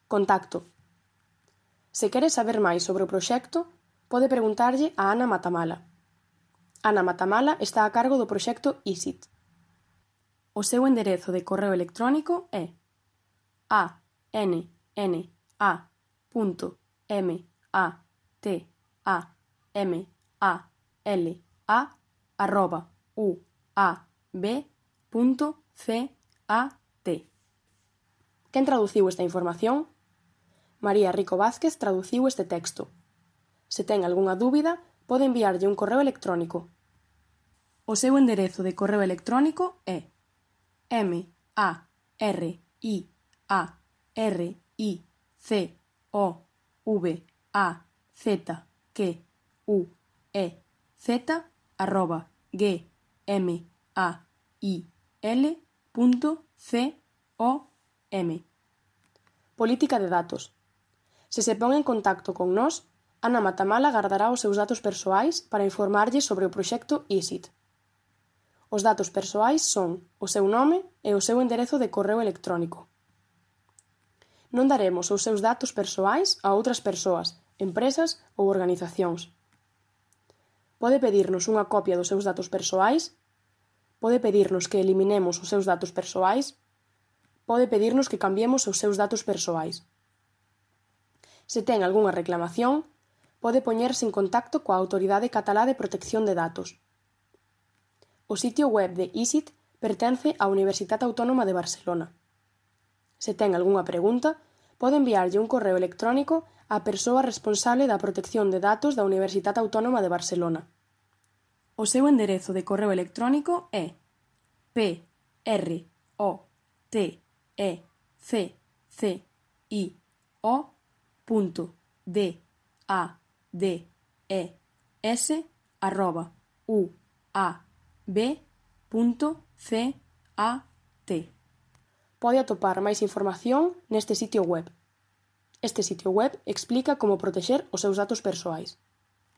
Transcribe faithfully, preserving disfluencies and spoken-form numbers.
Contacto. Se quere saber máis sobre o proxecto, pode preguntarlle a Ana Matamala. Ana Matamala está a cargo do proxecto I S I T. O seu enderezo de correo electrónico é a n n a punto m a t a m a l a arroba u a b punto c a t. Quen traduciu esta información? María Rico Vázquez traduciu este texto. Se ten algunha dúbida, pode enviarlle un correo electrónico. O seu enderezo de correo electrónico é m a r i a r i c o v a z q u e z arroba g m a i l punto c o m. Política de datos. Se se pon en contacto con nós, Ana Matamala gardará os seus datos persoais para informarlle sobre o proxecto I S I T. Os datos persoais son o seu nome e o seu enderezo de correo electrónico. Non daremos os seus datos persoais a outras persoas, empresas ou organizacións. Pode pedirnos unha copia dos seus datos persoais, pode pedirnos que eliminemos os seus datos persoais, pode pedirnos que cambiemos os seus datos persoais. Se ten algunha reclamación, pode poñerse en contacto coa Autoridade Catalá de Protección de Datos. O sitio web de I S I T pertence á Universitat Autónoma de Barcelona. Se ten algunha pregunta, pode enviarlle un correo electrónico á persoa responsable da protección de datos da Universitat Autónoma de Barcelona. O seu enderezo de correo electrónico é p r o t e c c i o punto d a d e s arroba u a b punto c a t. Pode atopar máis información neste sitio web. Este sitio web explica como protexer os seus datos persoais.